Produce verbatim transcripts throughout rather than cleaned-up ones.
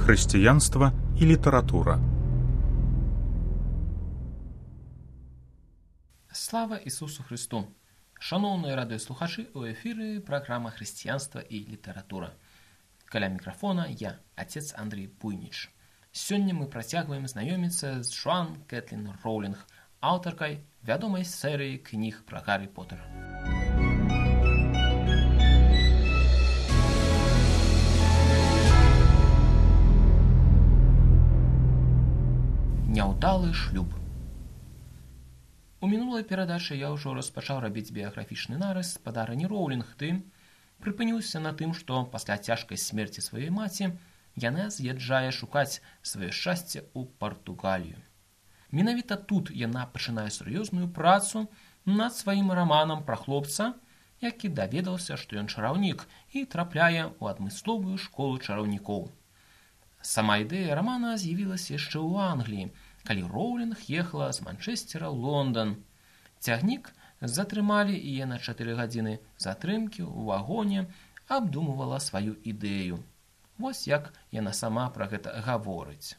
Хрысціянства і літаратура. Слава Ісусу Христу! Шановні радыёслухачы, у эфіры праграма «Хрысціянства і літаратура». Каля мікрафона я, отец Андрей Буйніч. Сёння мы працягваем знаёміцца з Джоан Кэтлін Роўлінг, аўтаркай вядомай серыі кніг пра Гаррі Поттера. Няўдалы шлюб. У мінулай перадачы я ўжо распачаў рабіць біяграфічны нарыс спадарыні Роўлінг, ты прыпыніўся на тым, што пасля цяжкай смерці сваёй маці яна з'язджае шукаць сваё шчасце ў Партугалію. Менавіта тут яна пачынае сур'ёзную працу над сваім раманам пра хлопца, які даведаўся, што ён чараўнік і трапляе ў адмысловую школу чараўнікоў. Сама ідэя рамана з'явілася яшчэ ў Англіі, калі Роўлінг ехала з Манчэсцера ў Лондан. Цягнік затрымалі і яна чатыры гадзіны затрымкі ў вагоне абдумывала сваю ідэю. Вось як яна сама пра гэта гаворыць.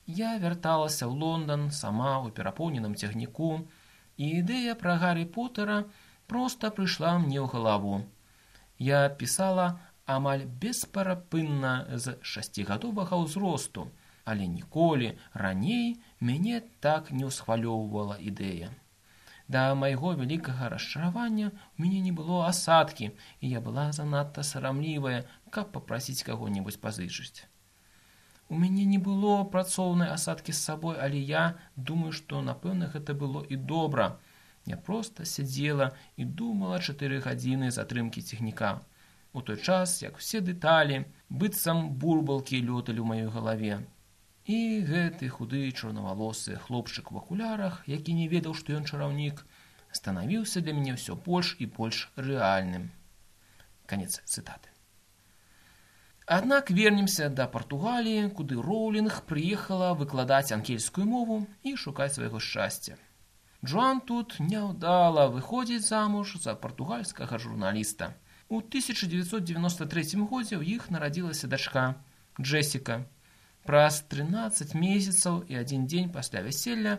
Я вярталася ў Лондан сама ў перапоўненым цягніку, і ідэя пра Гаррі Поттера проста прыйшла мне ў галаву. Я пісала амаль бесперапынна з шасцігадовага ўзросту, але ніколі раней мяне так не ўсхвалёўвала ідэя. Да майго вялікага расчаравання ў мяне не было асадкі, і я была занадта сарамлівая, каб папрасіць каго-небудзь пазычыць. У мяне не было працоўнай асадкі з сабой, але я думаю, што, напэўна, гэта было і добра. Я проста сядзела і думала чатыры гадзіны затрымкі цягніка. У той час, як усе дэталі, быццам бурбалкі лёталі ў маёй галаве. І гэты худы чорнавалосы хлопчык у акулярах, які не ведаў, што ён чараўнік, станавіўся для мяне ўсё больш і больш рэальным. Канец цытаты. Аднак вернемся да Партугаліі, куды Роўлінг прыехала выкладаць ангельскую мову і шукаць свайго шчасця. Джоан тут няўдала выходзіць замуж за партугальскага журналіста. У тысяча дзевяцьсот дзевяноста трэцім годзе ў іх нарадзілася дачка Джесіка. Праз трынаццаць месяцаў і адзін дзень пасля вяселля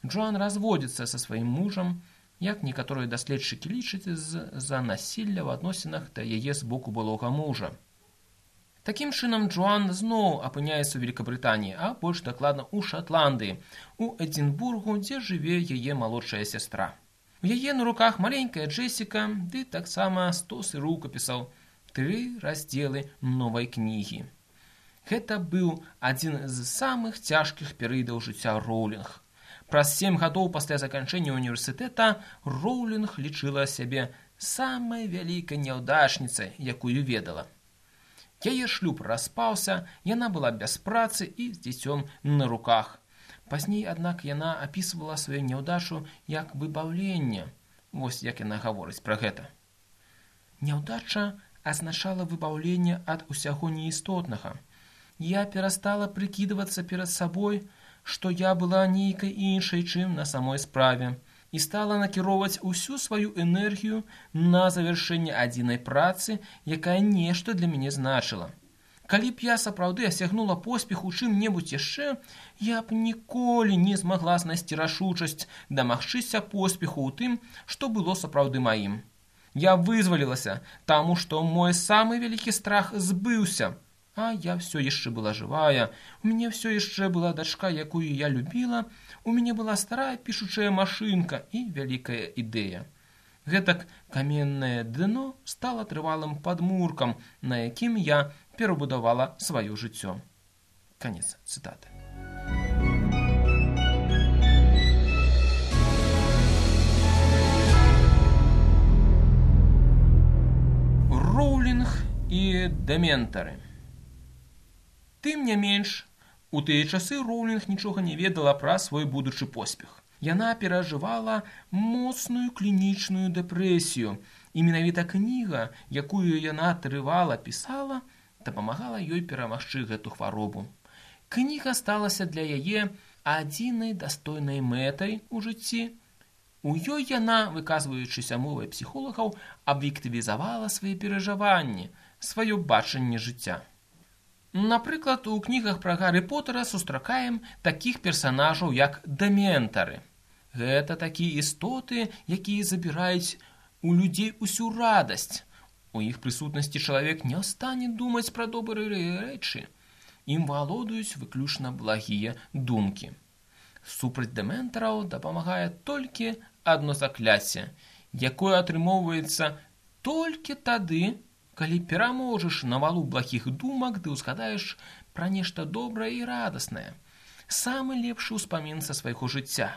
Джоан разводзіцца са сваім мужам, як некаторыя даследчыкі лічаць з-за насілля ў адносінах да яе з боку былога мужа. Такім чынам Джоан зноў апыняецца ў Великабрытаніі, а больш дакладна ў Шатландыі, у Эдзінбургу, дзе жыве яе малодшая сястра. У яе на руках маленькая Джесіка, ды таксама стос і рукапісаў, тры раздзелы новай кнігі. Гэта быў адзін з самых цяжкіх перыядаў жыцця Роўлінг. Праз сем гадоў пасля заканчэння універсітэта Роўлінг лічыла сябе самай вялікай няўдачніцай, якую ведала. Яе шлюб распаўся, яна была без працы і з дзіцём на руках. Пазней, аднак, яна апісвала сваю няўдачу як выбаўленне. Вось як яна гаворыць пра гэта. Няўдача азначала выбаўленне ад усяго неістотнага. Я перастала прыкідвацца перад сабой, што я была нейкай іншай, чым на самой справе, і стала накіроўваць усю сваю энергію на завяршэнне адзінай працы, якая нешта для мяне значыла. Калі б я сапраўды асягнула поспех у чым-небудзь яшчэ, я б ніколі не змагла знайсці рашучасць дамагчыся поспеху ў тым, што было сапраўды маім. Я вызвалілася, таму што мой самы вялікі страх збыўся. А я все яшчэ была жывая, у мяне все яшчэ была дачка, якую я любіла, у мяне была старая пішучая машынка і вялікая ідэя. Гэтак каменнае дно стала трывалым падмуркам, на якім я перабудавала сваё жыццё. Канец цытаты. Роўлінг і дементары. Тым не менш, у тыя часы Роўлінг нічога не ведала пра свой будучы поспех. Яна перажывала моцную клінічную дэпрэсію, і менавіта кніга, якую яна трывала пісала, дапамагала ёй перамагчы гэту хваробу. Кніга сталася для яе адзінай дастойнай мэтай у жыцці. У ёй яна, выказваючыся мовай псіхолагаў, аб'ектывізавала свае перажыванні, сваё бачанне жыцця. Напрыклад, у кнігах пра Гарры Поттера сустракаем такіх персанажаў, як дэментары. Гэта такія істоты, якія забіраюць у людзей усю радасць. У іх прысутнасці чалавек не стане думаць пра добрыя рэчы. Ім валодаюць выключна благія думкі. Супраць дэментараў дапамагае толькі адно закляцце, якое атрымоўваецца толькі тады, калі пераможаш навалу благіх думак, ды ўзгадаеш пра нешта добрае і радаснае. Самы лепшы ўспамін са свайго жыцця.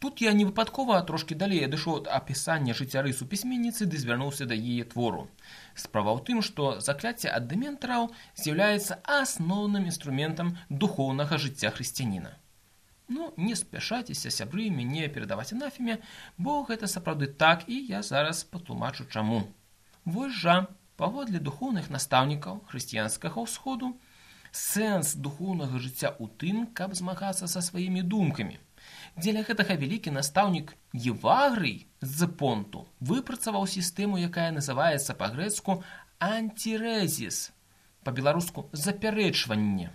Тут я не выпадкова трошкі далей адышоў ад апісання жыццярысу пісьменніцы ды звярнуўся да яе твору. Справа ў тым, што закляцце ад дэментараў з'яўляецца асноўным інструментам духоўнага жыцця хрысціяніна. Ну, не спяшайцеся, сябры, мяне перадаваць анафеме, бо гэта сапраўды так, і я зараз патлумачу чаму. Вось жа, паводле духоўных настаўнікаў хрысціянскага ўсходу, сэнс духоўнага жыцця ў тым, каб змагацца са сваімі думкамі. Дзеля гэтага вялікі настаўнік Евагрый з Понту выпрацаваў сістэму, якая называецца па-грэцку антирэзіс, па-беларуску запярэчванне.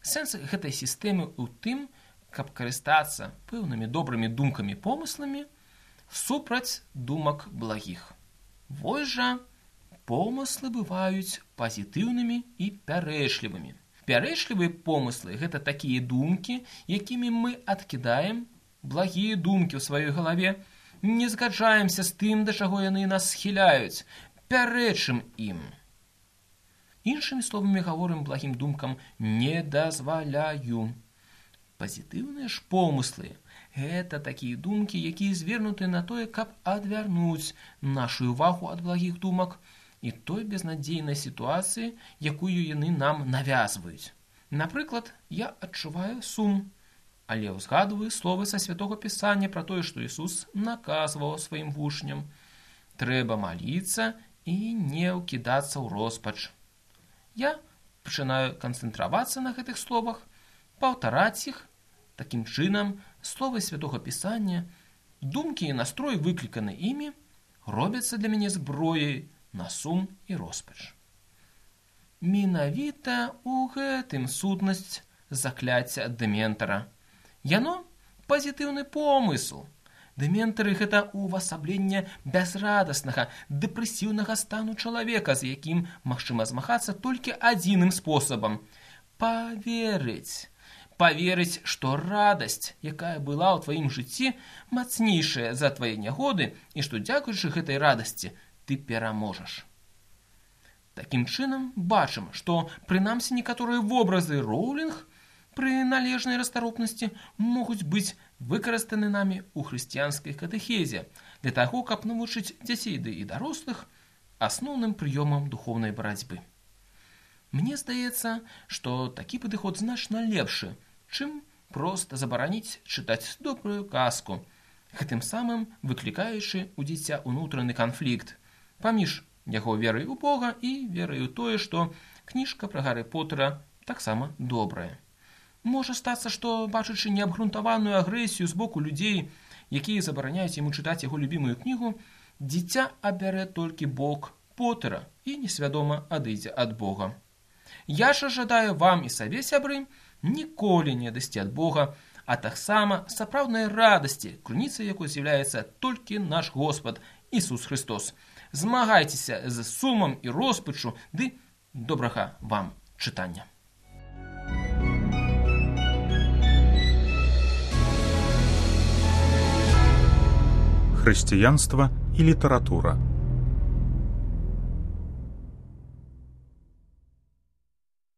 Сэнс гэтай сістэмы ў тым, каб карыстацца пэўнымі добрымі думкамі-помысламі супраць думак благіх. Вось жа, помыслы бываюць пазітыўнымі і пярэчлівымі. Пярэчлівыя помыслы – гэта такія думкі, якімі мы адкідаем благія думкі ў сваёй галаве, не згаджаемся з тым, да чаго яны нас схіляюць, пярэчым ім. Іншымі словамі гаворым благім думкам не дазваляю. Пазітыўныя ж помыслы – гэта такія думкі, якія звернуты на тое, каб адвярнуць нашу ўвагу ад благіх думак і той безнадзейнай сітуацыі, якую яны нам навязваюць. Напрыклад, я адчуваю сум, але ўзгадваю словы са Святога Пісання пра тое, што Ісус наказваў сваім вучням. Трэба маліцца і не ўкідацца ў роспач. Я пачынаю канцэнтравацца на гэтых словах, паўтараць іх. Такім чынам, словы Святога Пісання, думкі і настрой, выкліканы імі, робяцца для мяне зброяй на сум і роспач. Менавіта ў гэтым сутнасць закляцця ад дэментара. Яно пазітыўны помысл. Дэментары – гэта увасабленне бязрадаснага, дэпрэсіўнага стану чалавека, з якім магчыма змагацца толькі адзіным спосабам – паверыць. Паверыць, што радасць, якая была ў тваім жыцці, мацнейшая за твае нягоды і што, дзякуючы гэтай радасці, ты пераможаш. Такім чынам, бачым, што прынамсі некаторыя вобразы Роулінг пры належнай расторопнасці могуць быць выкарыстаны намі ў хрысціянскай катэхезе для таго, каб навучыць дзяцей ды і дарослых асноўным прыёмам духоўнай барацьбы. Мне здаецца, што такі падыход значна лепшы, чым проста забараніць чытаць добрую казку, гэтым самым выклікаючы ў дзіця ўнутраны канфлікт паміж яго верай у Бога і верай у тое, што кніжка пра Гарры Поттера таксама добрая. Можа стацца, што, бачачы неабгрунтаваную агрэсію з боку людзей, якія забараняюць яму чытаць яго любімую кнігу, дзіця абярэ толькі бок Поттера і несвядома адыдзе ад Бога. Я ж жадаю вам і сабе, сябры, ніколі не адысці ад Бога, а таксама сапраўднай радасці, крыніцай якой з'яўляецца толькі наш Господ Ісус Христос. Змагайцеся з сумам і роспачу, ды добрага вам чытання. Хрысціянства і літаратура.